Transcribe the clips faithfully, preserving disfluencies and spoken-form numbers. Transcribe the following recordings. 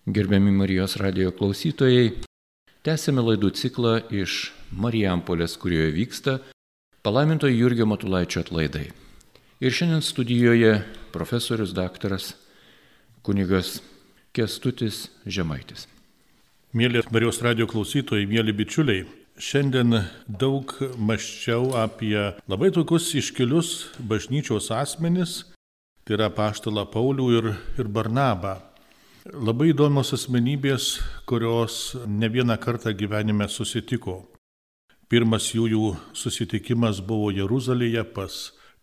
Gerbiami Marijos radijo klausytojai, tęsėme laidų ciklą iš Marijampolės, kurioje vyksta palaimintojo Jurgio Matulaičio atlaidai. Ir šiandien studijoje profesorius daktaras kunigas Kęstutis Žemaitis. Mėly Marijos radijo klausytojai, mėly bičiuliai, šiandien daug mąsčiau apie labai tokius iškilius bažnyčios asmenis, tai yra apaštalą Paulių ir, ir Barnabą. Labai įdomios asmenybės, kurios ne vieną kartą gyvenime susitiko. Pirmas jų, jų susitikimas buvo Jeruzalėje pas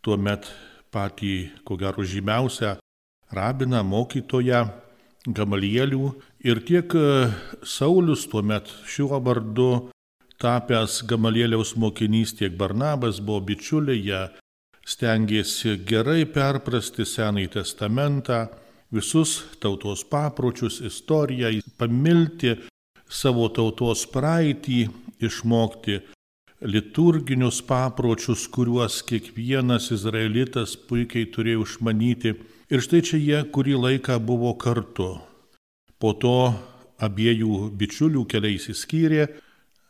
tuomet patį, ko gero, žymiausią rabiną, mokytoją Gamalielių. Ir tiek Saulius tuomet šiuo vardu tapęs Gamalieliaus mokinys, tiek Barnabas buvo bičiuliai, jie stengėsi gerai perprasti Senąjį testamentą, visus tautos papročius, istoriją, pamilti savo tautos praeitį, išmokti liturginius papročius, kuriuos kiekvienas izraelitas puikiai turėjo išmanyti. Ir štai čia jie kurį laiką buvo kartu. Po to abiejų bičiulių keliai išsiskyrė.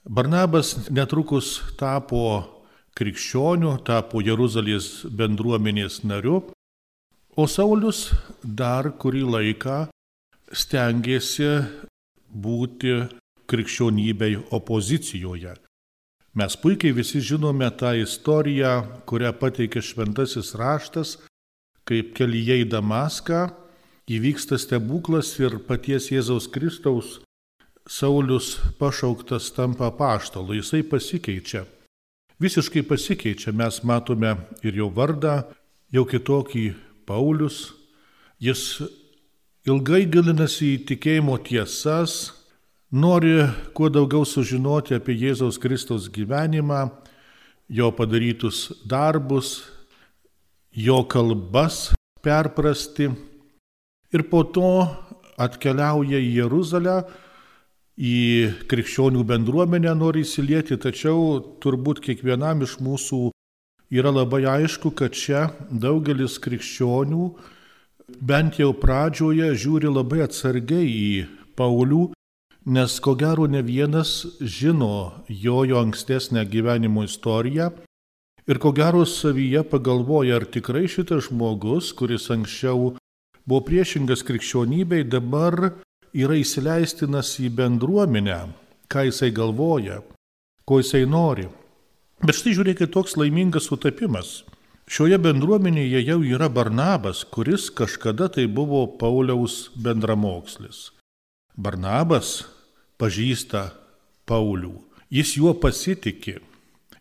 Barnabas netrukus tapo krikščioniu, tapo Jeruzalės bendruomenės nariu. O Saulius dar kurį laiką stengėsi būti krikščionybei opozicijoje. Mes puikiai visi žinome tą istoriją, kurią pateikė šventasis raštas, kaip kelyje į Damaską įvyksta stebuklas ir paties Jėzaus Kristaus Saulius pašauktas tampa apaštalu. Jisai pasikeičia. Visiškai pasikeičia. Mes matome ir jo vardą, jau kitokį Paulius. Jis ilgai gilinasi į tikėjimo tiesas, nori kuo daugiau sužinoti apie Jėzaus Kristaus gyvenimą, jo padarytus darbus, jo kalbas perprasti. Ir po to atkeliauja į Jeruzalę, į krikščionių bendruomenę nori įsilieti, tačiau turbūt kiekvienam iš mūsų yra labai aišku, kad čia daugelis krikščionių bent jau pradžioje žiūri labai atsargiai į Paulių, nes ko gero ne vienas žino jo, jo ankstesnę gyvenimo istoriją ir ko gero savyje pagalvoja, ar tikrai šitas žmogus, kuris anksčiau buvo priešingas krikščionybei, dabar yra įsileistinas į bendruomenę, ką jisai galvoja, ko jisai nori. Bet štai žiūrėkit, toks laimingas sutapimas. Šioje bendruomenėje jau yra Barnabas, kuris kažkada tai buvo Pauliaus bendramokslis. Barnabas pažįsta Paulių, jis juo pasitiki,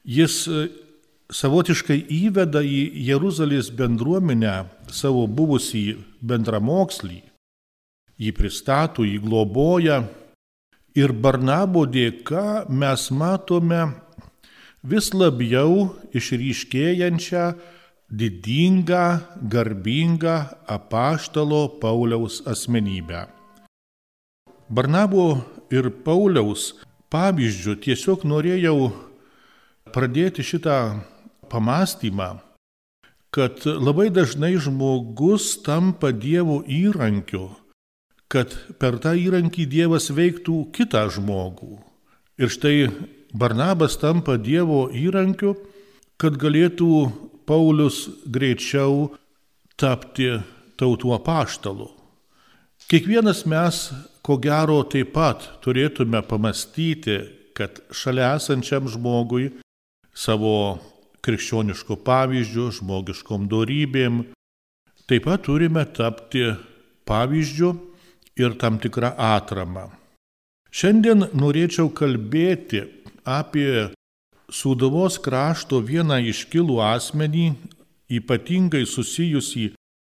jis savotiškai įveda į Jeruzalės bendruomenę savo buvusį bendramokslį, jį pristato, jį globoja ir Barnabo dėka mes matome vis labiau išryškėjančią didingą, garbingą apaštalo Pauliaus asmenybę. Barnabo ir Pauliaus pavyzdžiu tiesiog norėjau pradėti šitą pamąstymą, kad labai dažnai žmogus tampa Dievo įrankiu, kad per tą įrankį Dievas veiktų kitą žmogų. Ir štai Barnabas tampa Dievo įrankiu, kad galėtų Paulius greičiau tapti tautų apaštalu. Kiekvienas mes, ko gero, taip pat turėtume pamastyti, kad šalia esančiam žmogui savo krikščioniško pavyzdžių, žmogiškom dorybėm, taip pat turime tapti pavyzdžiu ir tam tikrą atramą. Šiandien norėčiau kalbėti apie Sūduvos krašto vieną iškilų asmenį, ypatingai susijusį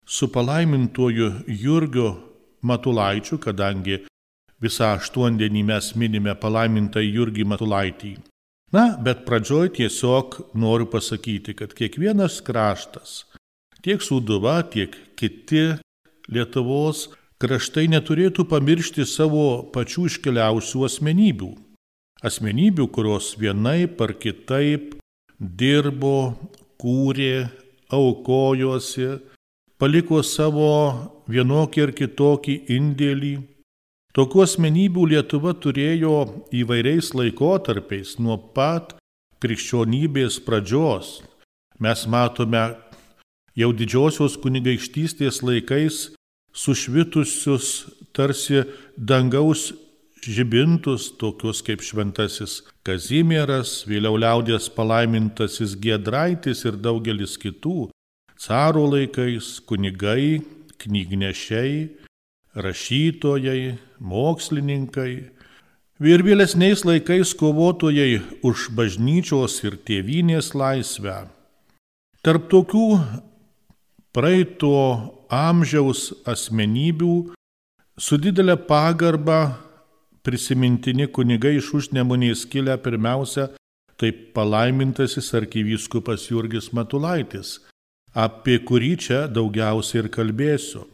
su palaimintuoju Jurgiu Matulaičiu, kadangi visą aštuondienį mes minime palaimintą Jurgį Matulaitį. Na, bet pradžioj tiesiog noriu pasakyti, kad kiekvienas kraštas, tiek Sūduva, tiek kiti Lietuvos kraštai neturėtų pamiršti savo pačių iškiliausių asmenybių. Asmenybių, kurios vienaip ar kitaip dirbo, kūrė, aukojosi, paliko savo vienokį ar kitokį indėlį Tokių asmenybių Lietuva turėjo įvairiais laikotarpiais nuo pat krikščionybės pradžios. Mes matome jau didžiosios kunigaikštystės laikais sušvitusius tarsi dangaus žibintus, tokius kaip šventasis Kazimieras, vėliau liaudies palaimintasis Giedraitis ir daugelis kitų, caro laikais kunigai, knygnešiai, rašytojai, mokslininkai ir vėlesniais laikais kovotojai už bažnyčios ir tėvynės laisvę. Tarp tokių praeito amžiaus asmenybių su didelė pagarba prisimintini kunigai iš Užnemunės kilę pirmiausia, tai palaimintasis arkivyskupas Jurgis Matulaitis, apie kurį čia daugiausiai ir kalbėsiu.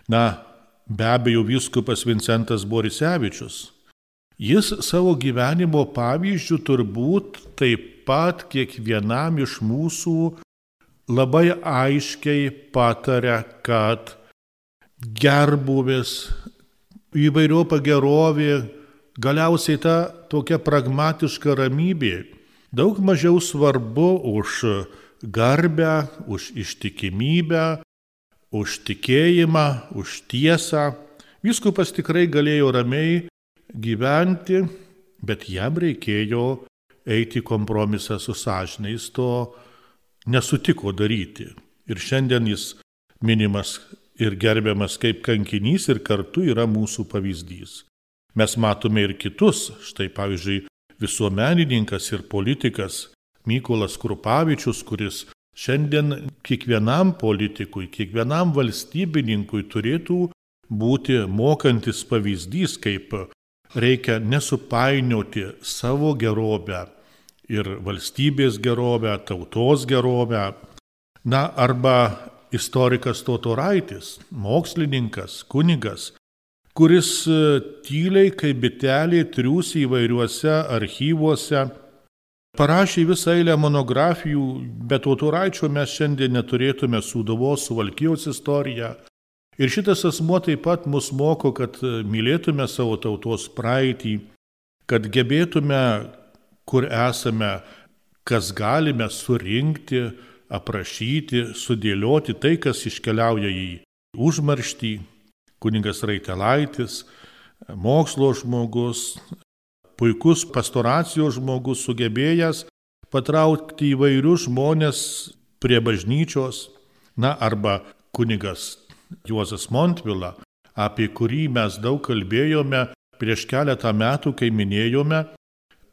Na, be abejo, vyskupas Vincentas Borisevičius. Jis savo gyvenimo pavyzdžių turbūt taip pat kiekvienam iš mūsų labai aiškiai pataria, kad gerbūvis, įvairiopa gerovė, galiausiai ta tokia pragmatiška ramybė daug mažiau svarbu už garbę, už ištikimybę, už tikėjimą, už tiesą. Vyskupas tikrai galėjo ramiai gyventi, bet jam reikėjo eiti kompromisą su sąžine, jis to nesutiko daryti. Ir šiandien jis minimas ir gerbiamas kaip kankinys ir kartu yra mūsų pavyzdys. Mes matome ir kitus, štai pavyzdžiui visuomenininkas ir politikas Mykolas Krupavičius, kuris šiandien kiekvienam politikui, kiekvienam valstybininkui turėtų būti mokantis pavyzdys, kaip reikia nesupainioti savo gerovę ir valstybės gerovę, tautos gerovę. Na, arba istorikas Totoraitis, mokslininkas, kunigas, kuris tyliai kaip bitelė triūsi įvairiuose archyvuose, parašė visą eilę monografijų, bet Totoraičio mes šiandien neturėtume Sūduvos, Suvalkijos istoriją. Ir šitas asmuo taip pat mus moko, kad mylėtume savo tautos praeitį, kad gebėtume, kur esame, kas galime surinkti, aprašyti, sudėlioti tai, kas iškeliauja į užmarštį. Kunigas Raitelaitis, mokslo žmogus, puikus pastoracijos žmogus, sugebėjęs patraukti įvairius žmonės prie bažnyčios. Na, arba kunigas Juozas Montvila, apie kurį mes daug kalbėjome prieš keletą metų, kai minėjome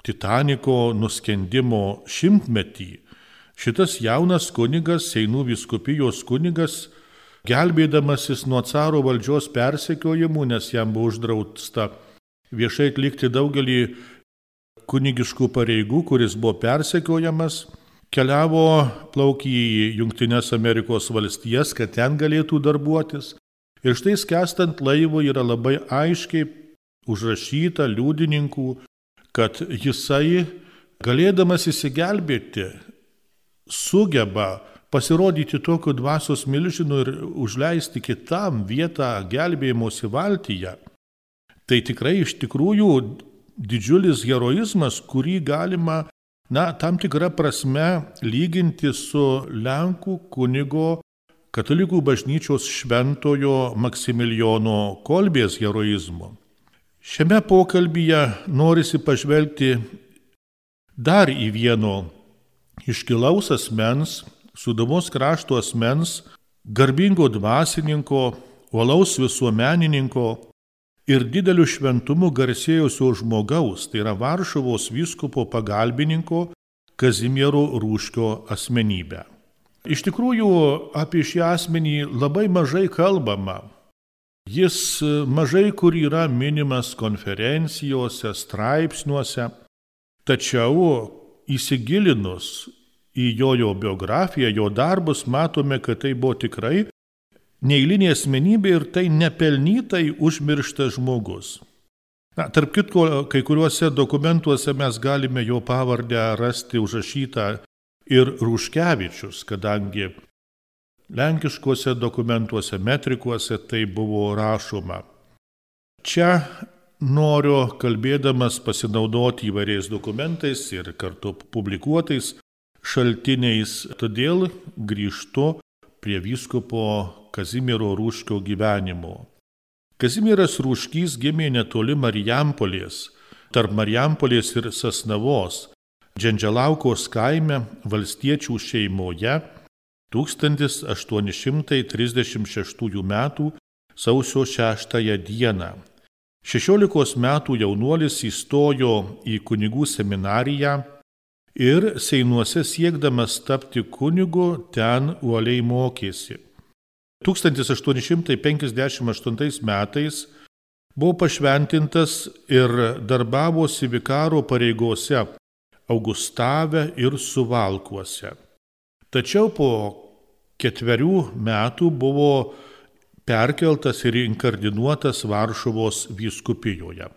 Titaniko nuskendimo šimtmetį. Šitas jaunas kunigas, Seinų vyskupijos kunigas, gelbėdamasis nuo caro valdžios persekiojimų, nes jam buvo uždrausta viešai atlikti daugelį kunigiškų pareigų, kuris buvo persekiojamas, keliavo, plaukė į Jungtines Amerikos valstijas, kad ten galėtų darbuotis. Ir štai skęstant laivu yra labai aiškiai užrašyta liudininkų, kad jisai, galėdamas įsigelbėti, sugeba pasirodyti tokiu dvasios milžinu ir užleisti kitam vietą gelbėjimosi valtyje. Tai tikrai iš tikrųjų didžiulis heroizmas, kurį galima, na, tam tikrą prasme lyginti su Lenkų kunigo katalikų bažnyčios šventojo Maksimilijono Kolbės heroizmu. Šiame pokalbyje norisi pažvelgti dar į vieno iškilaus asmens, Sūduvos krašto asmens, garbingo dvasininko, uolaus visuomenininko ir dideliu šventumu garsėjusio žmogaus, tai yra Varšuvos vyskupo pagalbininko Kazimiero Rūškio asmenybę. Iš tikrųjų, apie šį asmenį labai mažai kalbama. Jis mažai kur yra minimas konferencijose, straipsniuose, tačiau įsigilinus į jo, jo biografiją, jo darbus, matome, kad tai buvo tikrai neeilinė asmenybė ir tai nepelnytai užmirštas žmogus. Na, tarp kitko, kai kuriuose dokumentuose mes galime jo pavardę rasti užrašytą ir Rūškevičius, kadangi lenkiškuose dokumentuose, metrikuose tai buvo rašoma. Čia noriu, kalbėdamas, pasinaudoti įvairiais dokumentais ir kartu publikuotais šaltiniais, todėl grįžtu prie vyskupo Kazimiero Rūškio gyvenimo. Kazimieras Rūškys gimė netoli Marijampolės, tarp Marijampolės ir Sasnavos, Džendželaukos kaime valstiečių šeimoje tūkstantis aštuoni šimtai trisdešimt šeštųjų metų sausio šeštąją dieną. Šešiolikos metų jaunuolis įstojo į kunigų seminariją ir Seinuose siekdamas tapti kunigu ten uoliai mokėsi. tūkstantis aštuoni šimtai penkiasdešimt aštuntais metais buvo pašventintas ir darbavosi vikaro pareigose Augustave ir Suvalkuose. Tačiau po ketverių metų buvo perkeltas ir inkardinuotas Varšuvos vyskupijoje.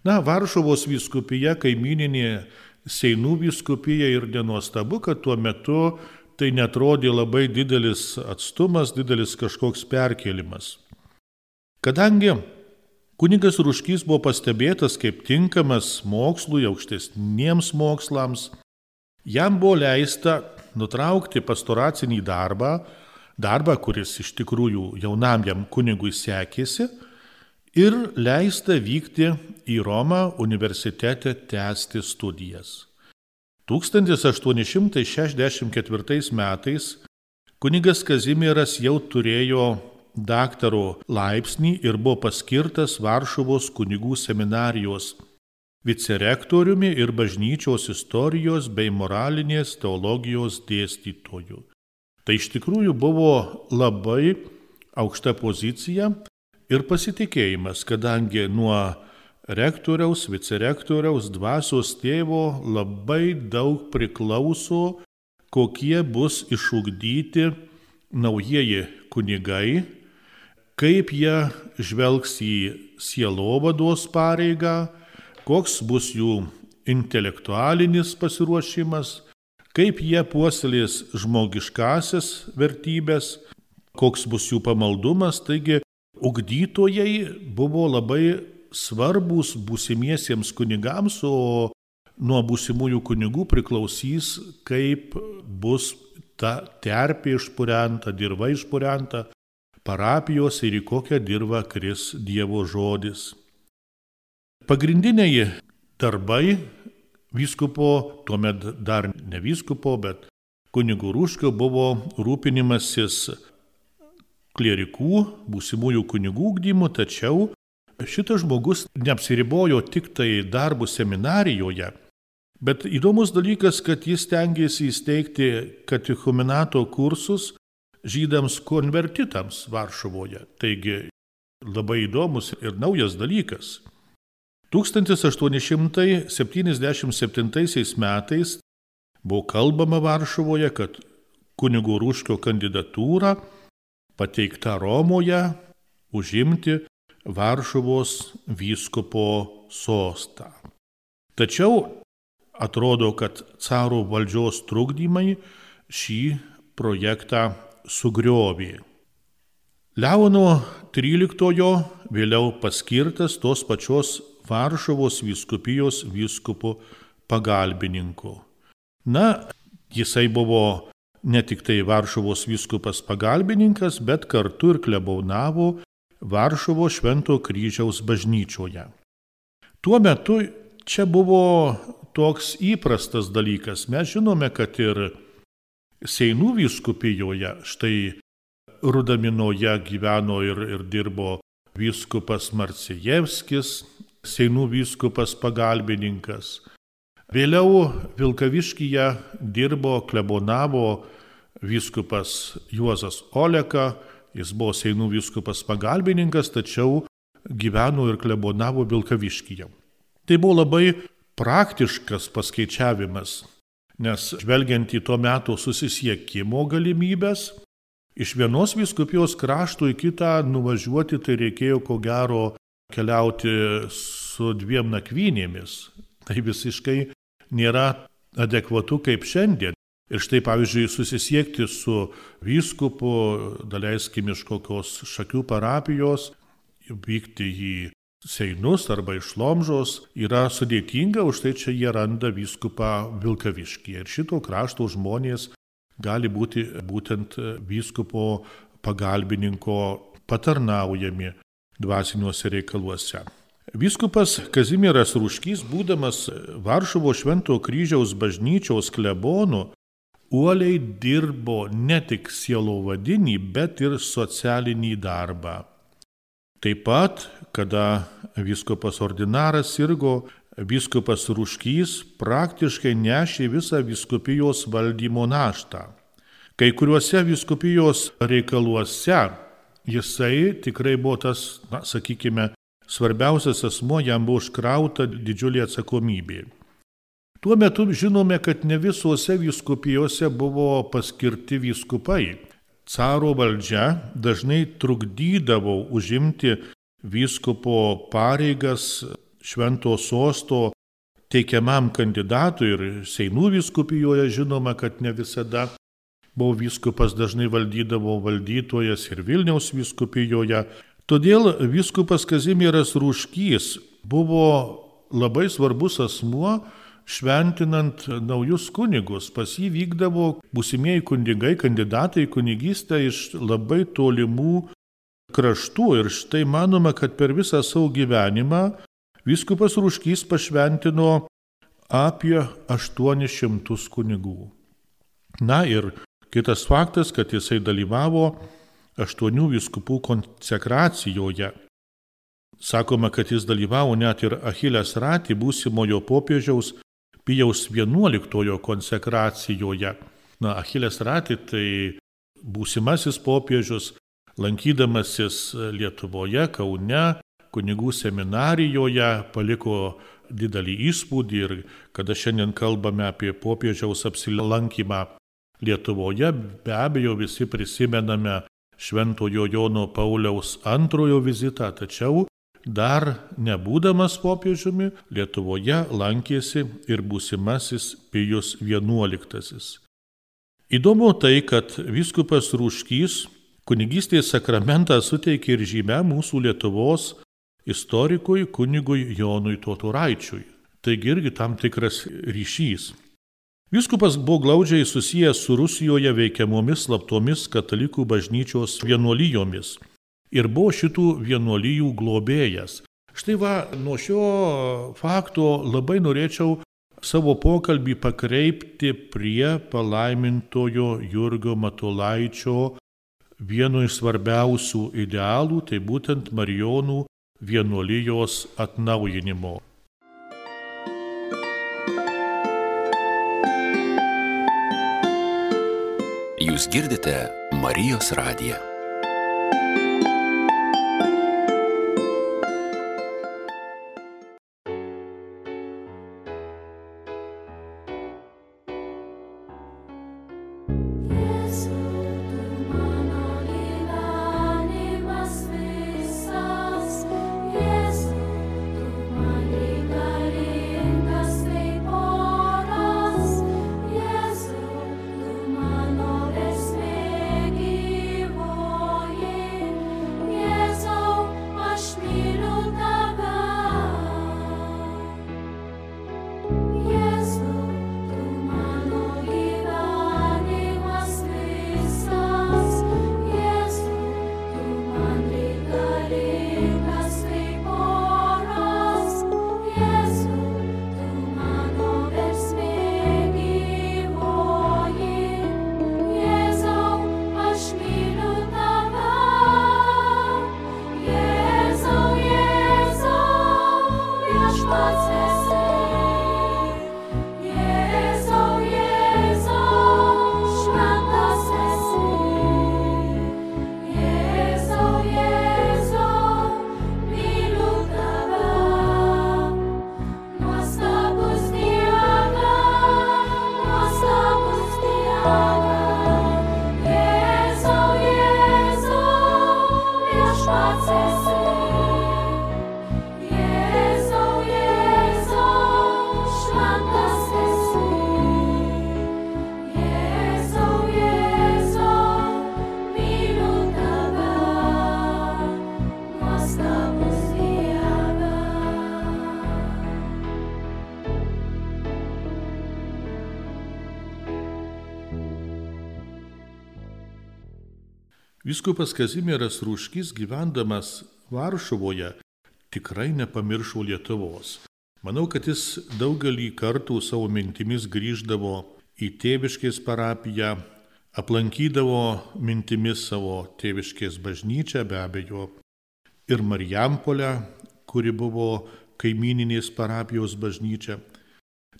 Na, Varšuvos vyskupija kaimininė Seinų vyskupija ir nenuostabu, kad tuo metu tai netrodė labai didelis atstumas, didelis kažkoks perkėlimas. Kadangi kunigas Rūškys buvo pastebėtas kaip tinkamas mokslui, aukštesniems mokslams, jam buvo leista nutraukti pastoracinį darbą, darbą, kuris iš tikrųjų jaunam jam kunigui sekėsi, ir leista vykti į Romą universitete tęsti studijas. tūkstantis aštuoni šimtai šešiasdešimt ketvirtais metais kunigas Kazimieras jau turėjo daktaro laipsnį ir buvo paskirtas Varšuvos kunigų seminarijos vicerektoriumi ir bažnyčios istorijos bei moralinės teologijos dėstytoju. Tai iš tikrųjų buvo labai aukšta pozicija ir pasitikėjimas, kadangi nuo rektoriaus, vicerektoriaus, dvasios tėvo labai daug priklauso, kokie bus išugdyti naujieji kunigai, kaip jie žvelgs į sielovados pareigą, koks bus jų intelektualinis pasiruošimas, kaip jie puoselės žmogiškasias vertybės, koks bus jų pamaldumas. Taigi ugdytojai buvo labai svarbus būsimiesiems kunigams, o nuo būsimųjų kunigų priklausys, kaip bus ta terpė išpurenta, dirva išpurenta parapijos ir į kokią dirvą kris Dievo žodis. Pagrindiniai darbai vyskupo, tuomet dar ne vyskupo, bet kunigo Rūškio buvo rūpinimasis klierikų, būsimųjų kunigų ugdymu, tačiau šitas žmogus neapsiribojo tik tai darbų seminarijoje, bet įdomus dalykas, kad jis stengėsi įsteigti katechumenato kursus žydams konvertitams Varšuvoje. Taigi labai įdomus ir naujas dalykas. tūkstantis aštuoni šimtai septyniasdešimt septintaisiais metais buvo kalbama Varšuvoje, kad kunigo Rūškio kandidatūra pateikta Romoje užimti Varšuvos vyskupo sostą. Tačiau atrodo, kad caro valdžios trukdymai šį projektą sugriovė. Leono tryliktojo vėliau paskirtas tos pačios Varšuvos vyskupijos vyskupo pagalbininku. Na, jisai buvo ne tik tai Varšuvos vyskupas pagalbininkas, bet kartu ir klebonavo Varšuvos Švento kryžiaus bažnyčioje. Tuo metu čia buvo toks įprastas dalykas. Mes žinome, kad ir Seinų vyskupijoje, štai Rudaminoje gyveno ir, ir dirbo vyskupas Marcijevskis, Seinų vyskupas pagalbininkas. Vėliau Vilkaviškyje dirbo, klebonavo vyskupas Juozas Oleka, jis buvo Seinų vyskupas pagalbininkas, tačiau gyveno ir klebonavo Vilkaviškyje. Tai buvo labai praktiškas paskaičiavimas, nes žvelgiant į to meto susisiekimo galimybės, iš vienos vyskupijos krašto į kitą nuvažiuoti tai reikėjo ko gero keliauti su dviem nakvynėmis. Tai visiškai nėra adekvatu kaip šiandien. Ir štai, pavyzdžiui, susisiekti su vyskupu, daleiskim iš kokios Šakių parapijos, vykti į Seinus arba iš Lomžos yra sudėtinga, už tai čia jie randa vyskupą Vilkaviškyje. Ir šito krašto žmonės gali būti būtent vyskupo pagalbininko patarnaujami dvasiniuose reikaluose. Vyskupas Kazimieras Rūškys, būdamas Varšuvos Šventojo kryžiaus bažnyčios klebonu, uoliai dirbo ne tik sielovadinį, bet ir socialinį darbą. Taip pat, kada vyskupas ordinaras sirgo, vyskupas Rūškys praktiškai nešė visą vyskupijos valdymo naštą. Kai kuriuose vyskupijos reikaluose jisai tikrai buvo tas, na, sakykime, svarbiausias asmuo, jam buvo užkrauta didžiulė atsakomybė. Tuo metu žinome, kad ne visose vyskupijose buvo paskirti vyskupai. Caro valdžia dažnai trukdydavo užimti vyskupo pareigas švento sosto teikiamam kandidatui ir Seinų vyskupijoje žinoma, kad ne visada buvo vyskupas, dažnai valdydavo valdytojas ir Vilniaus vyskupijoje. Todėl vyskupas Kazimieras Rūškys buvo labai svarbus asmuo, šventinant naujus kunigus. Pas jį vykdavo būsimieji kunigai, kandidatai į kunigystę iš labai tolimų kraštų. Ir štai manoma, kad per visą savo gyvenimą vyskupas Rūškys pašventino apie aštuonis šimtus kunigų. Na ir kitas faktas, kad jisai dalyvavo aštuonių vyskupų konsekracijoje. Sakoma, kad jis dalyvavo net ir Achilės Ratį, būsimojo popiežiaus Pijaus vienuoliktojo konsekracijoje. Na, Achilės Ratį tai būsimasis popiežius, lankydamasis Lietuvoje, Kaune, kunigų seminarijoje, paliko didelį įspūdį ir kada šiandien kalbame apie popiežiaus apsilankymą Lietuvoje, be abejo visi prisimename Šventojo Jono Pauliaus antrojo vizitą, tačiau dar nebūdamas popiežiumi Lietuvoje lankėsi ir būsimasis Pijus vienuoliktasis. Įdomu tai, kad vyskupas Rūškys kunigystės sakramentą suteikė ir žymę mūsų Lietuvos istorikui kunigui Jonui Totoraičiui. Taigi irgi tam tikras ryšys. Vyskupas buvo glaudžiai susijęs su Rusijoje veikiamomis slaptomis katalikų bažnyčios vienuolijomis ir buvo šitų vienuolijų globėjas. Štai va, nuo šio fakto labai norėčiau savo pokalbį pakreipti prie palaimintojo Jurgio Matulaičio vieno iš svarbiausių idealų, tai būtent Marijonų vienuolijos atnaujinimo. Jūs girdite Marijos radiją. Jezu, tu mano esmė gyvoji. Vyskupas Kazimieras Rūškys, gyvendamas Varšuvoje, tikrai nepamiršo Lietuvos. Manau, kad jis daugelį kartų savo mintimis grįždavo į Tėviškės parapiją, aplankydavo mintimis savo Tėviškės bažnyčią, be abejo, ir Marijampolę, kuri buvo kaimyninės parapijos bažnyčia.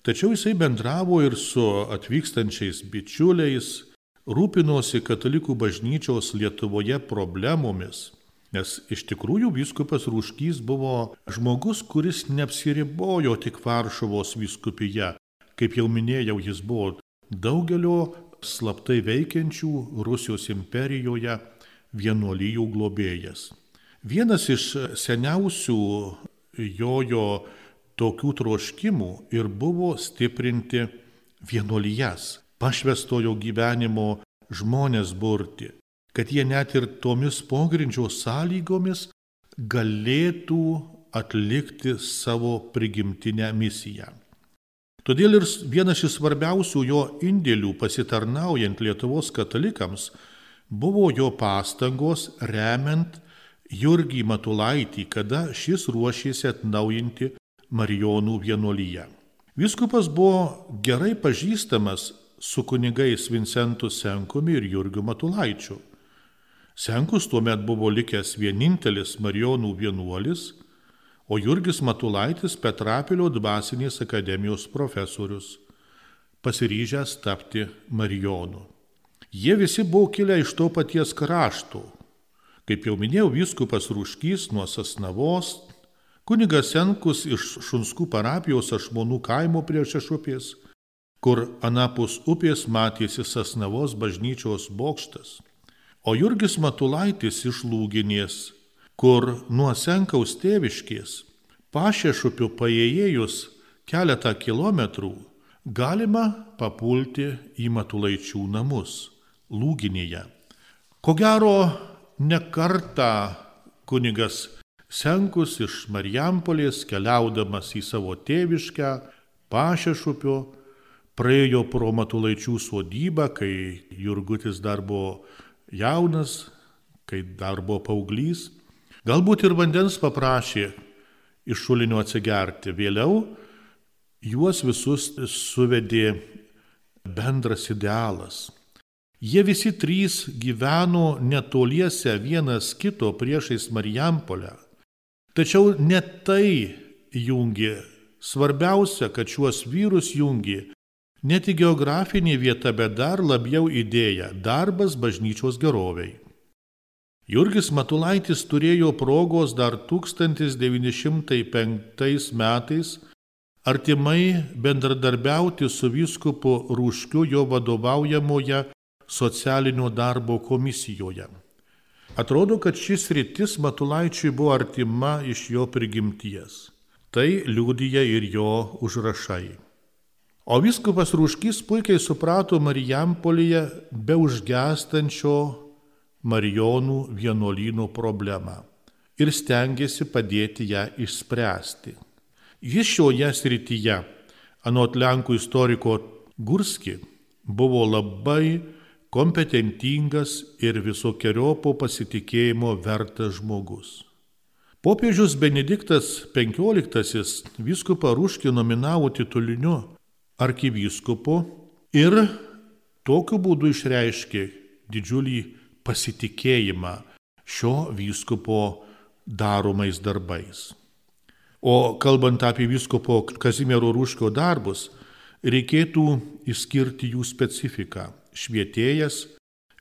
Tačiau jisai bendravo ir su atvykstančiais bičiuliais, rūpinosi katalikų bažnyčios Lietuvoje problemomis, nes iš tikrųjų vyskupas Rūškys buvo žmogus, kuris neapsiribojo tik Varšuvos vyskupija. Kaip jau minėjau, jis buvo daugelio slaptai veikiančių Rusijos imperijoje vienuolijų globėjas. Vienas iš seniausių jojo tokių troškimų ir buvo stiprinti vienuolijas, pašvęstojo gyvenimo žmonės burti, kad jie net ir tomis pogrindžio sąlygomis galėtų atlikti savo prigimtinę misiją. Todėl ir vienas iš svarbiausių jo indėlių pasitarnaujant Lietuvos katalikams buvo jo pastangos remiant Jurgį Matulaitį, kada šis ruošėsi atnaujinti Marijonų vienuoliją. Vyskupas buvo gerai pažįstamas su kunigais Vincentu Senkumi ir Jurgiu Matulaičiu. Senkus tuomet buvo likęs vienintelis Marijonų vienuolis, o Jurgis Matulaitis Petrapilio dvasinės akademijos profesorius, pasiryžęs tapti Marijonu. Jie visi buvo kilę iš to paties krašto. Kaip jau minėjau, vyskupas Rūškys nuo Sasnavos, kunigas Senkus iš Šunskų parapijos Ašmonų kaimo prie Šešupės, kur anapus upės matėsi Sasnavos bažnyčios bokštas, o Jurgis Matulaitis iš Lūginės, kur nuo Senkaus Tėviškės Pašešupių paėjėjus keletą kilometrų galima papulti į Matulaičių namus Lūginėje. Ko gero, ne kartą kunigas Senkus iš Marijampolės, keliaudamas į savo tėviškę Pašešupio, praėjo pro Matulaičių sodybą, kai Jurgutis dar buvo jaunas, kai dar buvo paauglys. Galbūt ir vandens paprašė iš šulinio atsigerti. Vėliau juos visus suvedė bendras idealas. Jie visi trys gyveno netoliese vienas kito priešais Marijampolę. Tačiau ne tai jungė. Svarbiausia, kad šiuos vyrus jungė ne tik geografinė vieta, bet dar labiau idėja – darbas bažnyčios geroviai. Jurgis Matulaitis turėjo progos dar tūkstantis devyni šimtai penktais metais artimai bendradarbiauti su vyskupu Rūškiu jo vadovaujamoje socialinio darbo komisijoje. Atrodo, kad šis sritis Matulaičiui buvo artima iš jo prigimties. Tai liudija ir jo užrašai. O vyskupas Rūškys puikiai suprato Marijampolėje be užgęstančio Marijonų vienuolyno problemą ir stengėsi padėti ją išspręsti. Jis šioje srityje, anot lenkų istoriko Gurski, buvo labai kompetentingas ir visokiojopo pasitikėjimo vertas žmogus. Popiežius Benediktas penkioliktasis vyskupą Rūškį nominavo tituliniu arkivyskupu ir tokiu būdu išreiškė didžiulį pasitikėjimą šio vyskupo daromais darbais. O kalbant apie vyskupo Kazimiero Rūškio darbus, reikėtų išskirti jų specifiką. Švietėjas,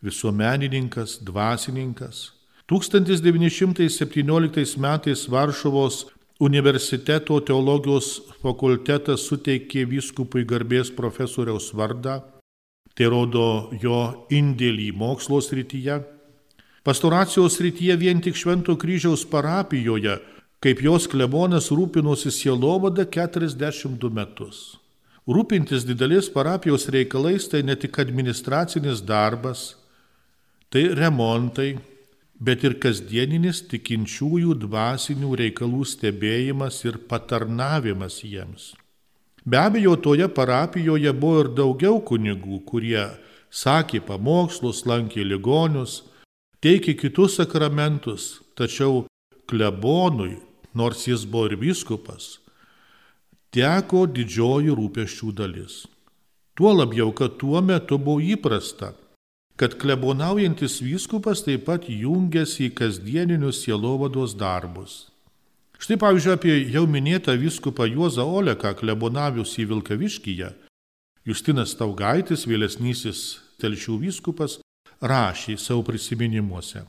visuomenininkas, dvasininkas. tūkstantis devyni šimtai septynioliktais metais Varšuvos universiteto teologijos fakultetas suteikė vyskupui garbės profesoriaus vardą. Tai rodo jo indėlį mokslo srityje. Pastoracijos srityje vien tik Švento Kryžiaus parapijoje, kaip jos klebonas, rūpinosi sielovada keturiasdešimt du metus. Rūpintis didelės parapijos reikalais tai ne tik administracinis darbas, tai remontai, bet ir kasdieninis tikinčiųjų dvasinių reikalų stebėjimas ir patarnavimas jiems. Be abejo, toje parapijoje buvo ir daugiau kunigų, kurie sakė pamokslus, lankė ligonius, teikė kitus sakramentus, tačiau klebonui, nors jis buvo ir vyskupas, teko didžioji rūpesčių dalis. Tuo labiau, kad tuo metu buvo įprasta, kad klebonaujantis vyskupas taip pat jungiasi į kasdieninius sielovados darbus. Štai pavyzdžiui, apie jau minėtą vyskupą Juozą Oleką, klebonaviusį Vilkaviškyje, Justinas Staugaitis, vėlesnysis Telšių vyskupas, rašė savo prisiminimuose.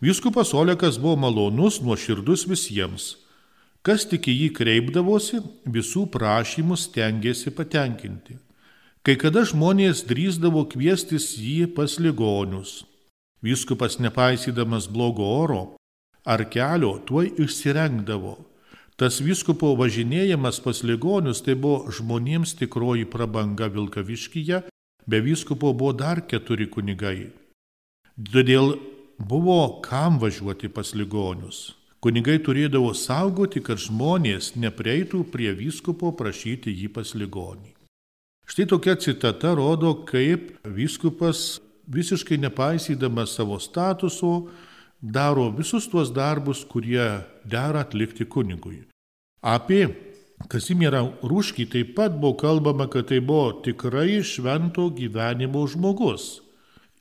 Vyskupas Olekas buvo malonus, nuoširdus visiems. Kas tik į jį kreipdavosi, visų prašymus stengėsi patenkinti. Kai kada žmonės drįsdavo kviestis jį pas ligonius. Vyskupas, nepaisydamas blogo oro ar kelio, tuoj išsirengdavo. Tas vyskupo važinėjimas pas ligonius tai buvo žmonėms tikroji prabanga Vilkaviškyje, be vyskupo buvo dar keturi kunigai. Todėl buvo kam važiuoti pas ligonius. Kunigai turėdavo saugoti, kad žmonės nepreitų prie vyskupo prašyti jį pas ligonį. Štai tokia citata rodo, kaip vyskupas, visiškai nepaisydamas savo statuso, daro visus tuos darbus, kurie dera atlikti kunigui. Apie Kazimierą Rūškį taip pat buvo kalbama, kad tai buvo tikrai švento gyvenimo žmogus.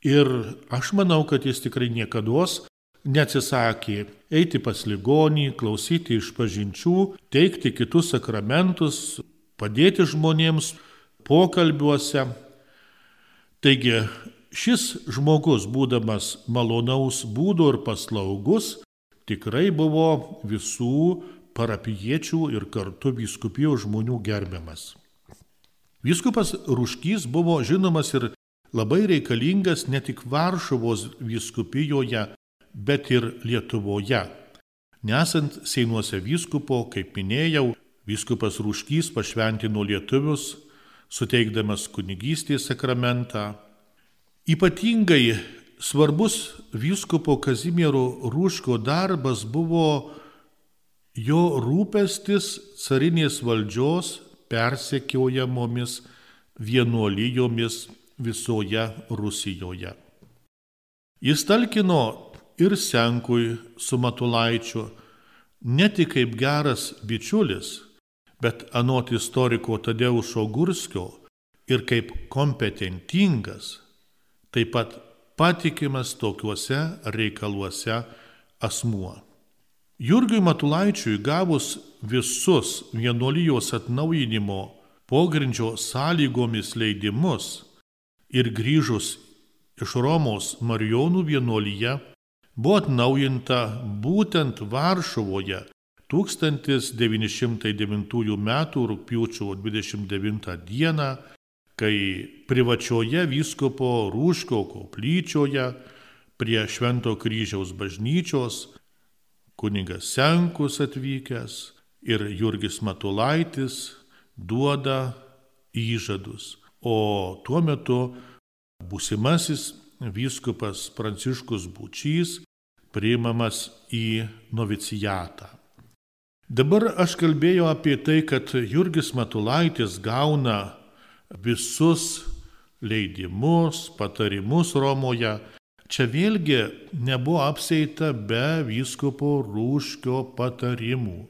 Ir aš manau, kad jis tikrai niekados neatsisakė eiti pas ligonį, klausyti išpažinčių, teikti kitus sakramentus, padėti žmonėms pokalbiuose. Taigi šis žmogus, būdamas malonaus būdo ir paslaugus, tikrai buvo visų parapijiečių ir kartu vyskupijos žmonių gerbiamas. Vyskupas Rūškys buvo žinomas ir labai reikalingas ne tik Varšuvos vyskupijoje, bet ir Lietuvoje. Nesant Seinuose vyskupo, kaip minėjau, vyskupas Rūškys pašventino lietuvius, suteikdamas kunigystės sakramentą. Ypatingai svarbus vyskupo Kazimiero Rūškio darbas buvo jo rūpestis carinės valdžios persekiojamomis vienuolijomis visoje Rusijoje. Jis talkino ir Senkui su Matulaičiu ne tik kaip geras bičiulis, bet anot istoriko Tadeušo Gurskio ir kaip kompetentingas, taip pat patikimas tokiuose reikaluose asmuo. Jurgiui Matulaičiui gavus visus vienuolijos atnaujinimo pogrindžio sąlygomis leidimus ir grįžus iš Romos Marijonų vienuolyje, buvo atnaujinta būtent Varšuvoje tūkstantis devyni šimtai devintųjų metų rugpjūčio dvidešimt devintą dieną, kai privačioje vyskupo Rūškio koplyčioje prie Švento kryžiaus bažnyčios kunigas Senkus atvykęs ir Jurgis Matulaitis duoda įžadus. O tuo metu būsimasis vyskupas Pranciškus Būčys priimamas į novicijatą. Dabar aš kalbėjau apie tai, kad Jurgis Matulaitis gauna visus leidimus, patarimus Romoje. Čia vėlgi nebuvo apsieita be vyskupo Rūškio patarimų.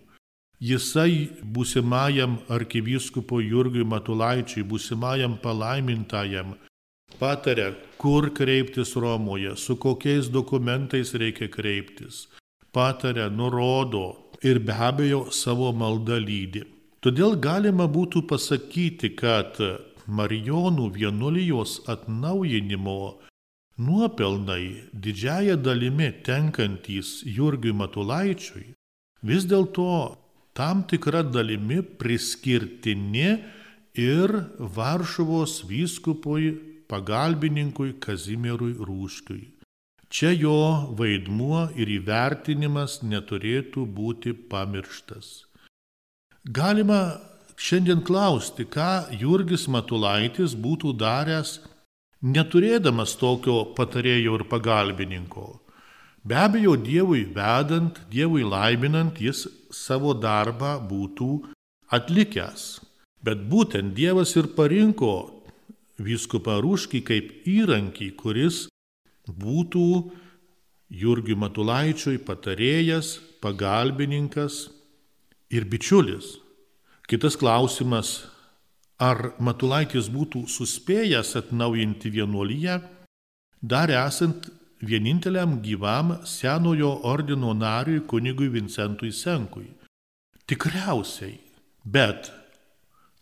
Jisai būsimajam arkivyskupo Jurgiui Matulaičiui, būsimajam palaimintajam, patarė, kur kreiptis Romoje, su kokiais dokumentais reikia kreiptis. Patarė, nurodo ir be abejo savo maldą lydi. Todėl galima būtų pasakyti, kad Marijonų vienuolijos atnaujinimo nuopelnai didžiąja dalimi tenkantys Jurgiui Matulaičiui vis dėlto tam tikra dalimi priskirtini ir Varšuvos vyskupui pagalbininkui Kazimierui Rūškiui. Čia jo vaidmuo ir įvertinimas neturėtų būti pamirštas. Galima šiandien klausti, ką Jurgis Matulaitis būtų daręs, neturėdamas tokio patarėjo ir pagalbininko. Be abejo, Dievui vedant, Dievui laiminant, jis savo darbą būtų atlikęs. Bet būtent Dievas ir parinko vyskupą Rūškį kaip įrankį, kuris būtų Jurgiui Matulaičiui patarėjas, pagalbininkas ir bičiulis. Kitas klausimas, ar Matulaitis būtų suspėjęs atnaujinti vienuoliją, dar esant vieninteliam gyvam senojo ordino nariui kunigui Vincentui Senkui. Tikriausiai, bet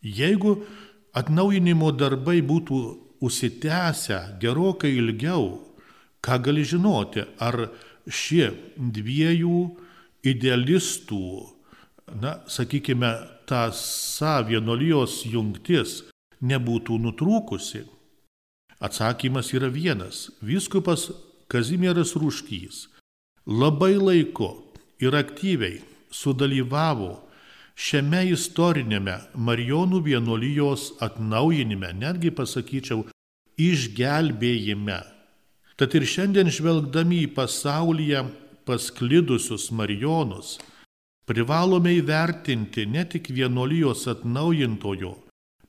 jeigu atnaujinimo darbai būtų užsitęsę gerokai ilgiau, ką gali žinoti, ar šie dviejų idealistų, na, sakykime, tąsa vienuolijos jungtis nebūtų nutrūkusi? Atsakymas yra vienas. Vyskupas Kazimieras Rūškys labai laiku ir aktyviai sudalyvavo šiame istorinėme Marijonų vienuolijos atnaujinime, netgi pasakyčiau, išgelbėjime. Tad ir šiandien žvelgdami į pasaulyje pasklidusius Marijonus, privalome įvertinti ne tik vienuolijos atnaujintojo,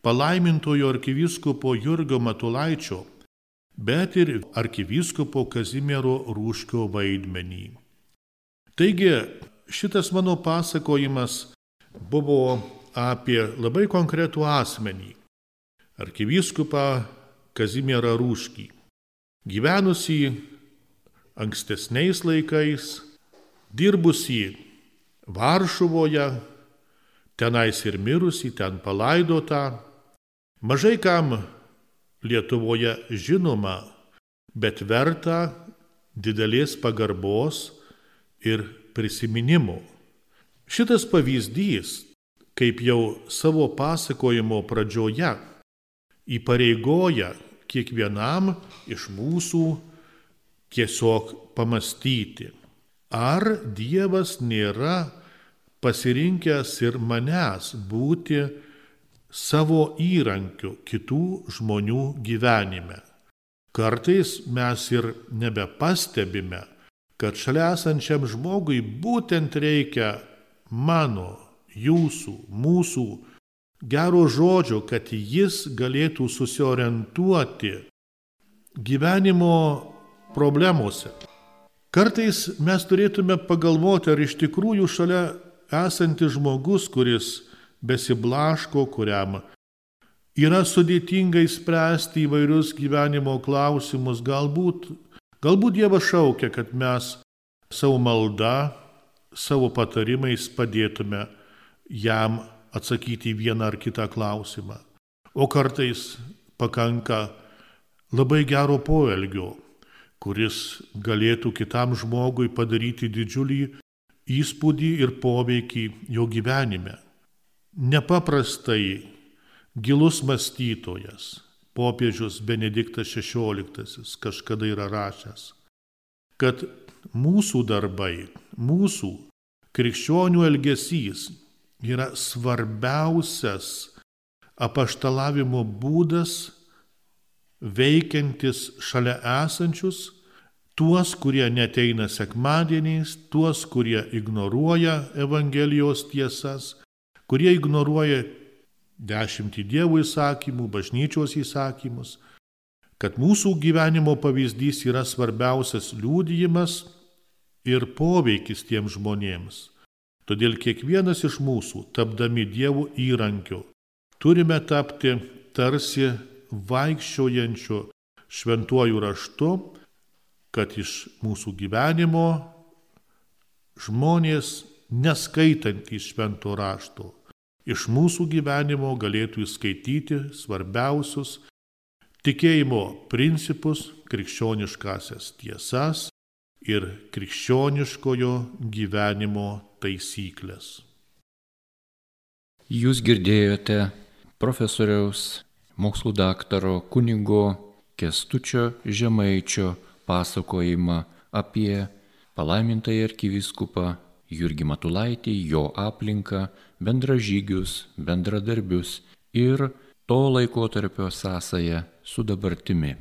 palaimintojo arkivyskupo Jurgio Matulaičio, bet ir arkivyskupo Kazimiero Rūškio vaidmenį. Taigi, šitas mano pasakojimas buvo apie labai konkretų asmenį, arkivyskupą Kazimierą Rūškį, gyvenusį ankstesniais laikais, dirbusį Varšuvoje, tenais ir mirusį, ten palaidotą, mažai kam Lietuvoje žinoma, bet verta didelės pagarbos ir prisiminimų. Šitas pavyzdys, kaip jau savo pasakojimo pradžioje, įpareigoja kiekvienam iš mūsų tiesiog pamastyti, ar Dievas nėra pasirinkęs ir manęs būti savo įrankiu kitų žmonių gyvenime. Kartais mes ir nebepastebime, kad šalia esančiam žmogui būtent reikia mano, jūsų, mūsų gero žodžio, kad jis galėtų susiorientuoti gyvenimo problemuose. Kartais mes turėtume pagalvoti, ar iš tikrųjų šalia esantis žmogus, kuris besiblaško, kuriam yra sudėtingai spręsti įvairius gyvenimo klausimus, galbūt, galbūt Dievas šaukia, kad mes savo malda, savo patarimais padėtume jam atsakyti vieną ar kitą klausimą. O kartais pakanka labai gero poelgio, kuris galėtų kitam žmogui padaryti didžiulį įspūdį ir poveikį jo gyvenime. Nepaprastai gilus mąstytojas, popiežius Benediktas šešioliktasis kažkada yra rašęs, kad mūsų darbai, mūsų krikščionių elgesys yra svarbiausias apaštalavimo būdas veikiantis šalia esančius, tuos, kurie neteina sekmadieniais, tuos, kurie ignoruoja Evangelijos tiesas, kurie ignoruoja dešimtį Dievo įsakymų, bažnyčios įsakymus, kad mūsų gyvenimo pavyzdys yra svarbiausias liudijimas ir poveikis tiems žmonėms. Todėl kiekvienas iš mūsų, tapdami Dievo įrankiu, turime tapti tarsi vaikščiojančiu šventuoju raštu, kad iš mūsų gyvenimo žmonės, neskaitantys švento rašto, iš mūsų gyvenimo galėtų įskaityti svarbiausius tikėjimo principus, krikščioniškasias tiesas ir krikščioniškojo gyvenimo taisyklės. Jūs girdėjote profesoriaus, mokslų daktaro kunigo Kęstučio Žemaičio pasakojimą apie palaimintąjį arkivyskupą Jurgį Matulaitį, jo aplinką, bendražygius, bendradarbius ir to laikotarpio sąsają su dabartimi.